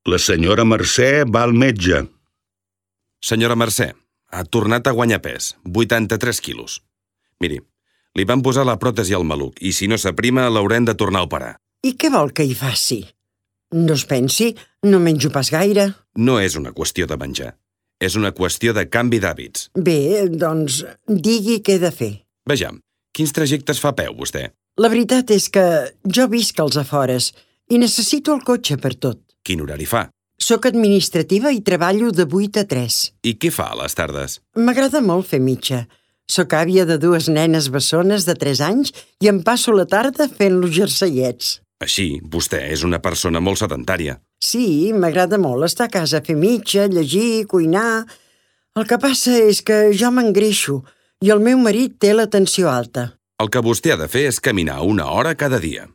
La senyora Mercè va al metge. Senyora Mercè, ha tornat a guanyar pes, 83 quilos. Miri, li van posar la pròtesi al maluc i si no s'aprima l'haurem de tornar a operar. I què vol que hi faci? No es pensi, no menjo pas gaire. No és una qüestió de menjar. És una qüestió de canvi d'hàbits. Bé, doncs, digui què he de fer. Vejam, quins trajectes fa a peu, vostè? La veritat és que jo visc als afores i necessito el cotxe per tot. Quin horari fa? Soc administrativa i treballo de 8 a 3. I què fa a les tardes? M'agrada molt fer mitja. Soc àvia de 2 nenes bessones de 3 anys i em passo la tarda fent-los jerseiets. Així, vostè és una persona molt sedentària. Sí, m'agrada molt estar a casa a fer mitja, llegir, cuinar. El que passa és que jo m'engreixo i el meu marit té la tensió alta. El que vostè ha de fer és caminar 1 hora cada dia.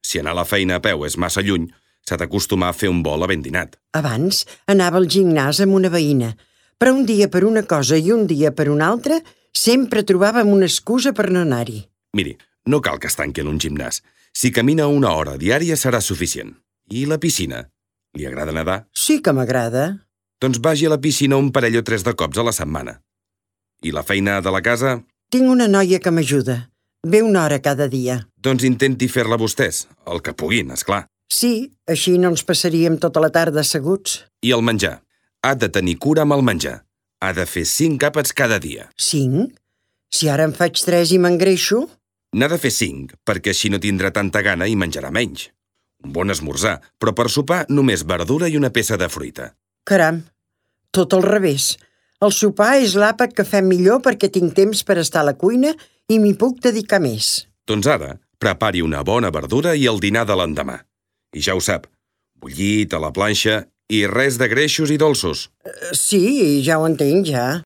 Si anar a la feina a peu és massa lluny, s'ha d'acostumar a fer un vol a ben dinat. Abans anava al gimnàs amb una veïna, però un dia per una cosa i un dia per una altra sempre trobàvem una excusa per no anar-hi. Miri, no cal que es tanqui en un gimnàs. Si camina 1 hora diària serà suficient. I la piscina? Li agrada nedar? Sí que m'agrada. Doncs vagi a la piscina un parell o 3 de cops a la setmana. I la feina de la casa? Tinc una noia que m'ajuda. Ve 1 hora cada dia. Doncs intenti fer-la vostès, el que puguin, és clar. Sí, així no ens passaríem tota la tarda asseguts. I el menjar? Ha de tenir cura amb el menjar. Ha de fer 5 àpats cada dia. 5? Si ara en faig 3 i m'engreixo? N'ha de fer 5, perquè així no tindrà tanta gana i menjarà menys. Un bon esmorzar, però per sopar només verdura i una peça de fruita. Caram, tot al revés. El sopar és l'àpat que fem millor perquè tinc temps per estar a la cuina i m'hi puc dedicar més. Doncs ara, prepari una bona verdura i el dinar de l'endemà. I ja ho sap, bullit a la planxa i res de greixos i dolços. Sí, ja ho entenc, ja.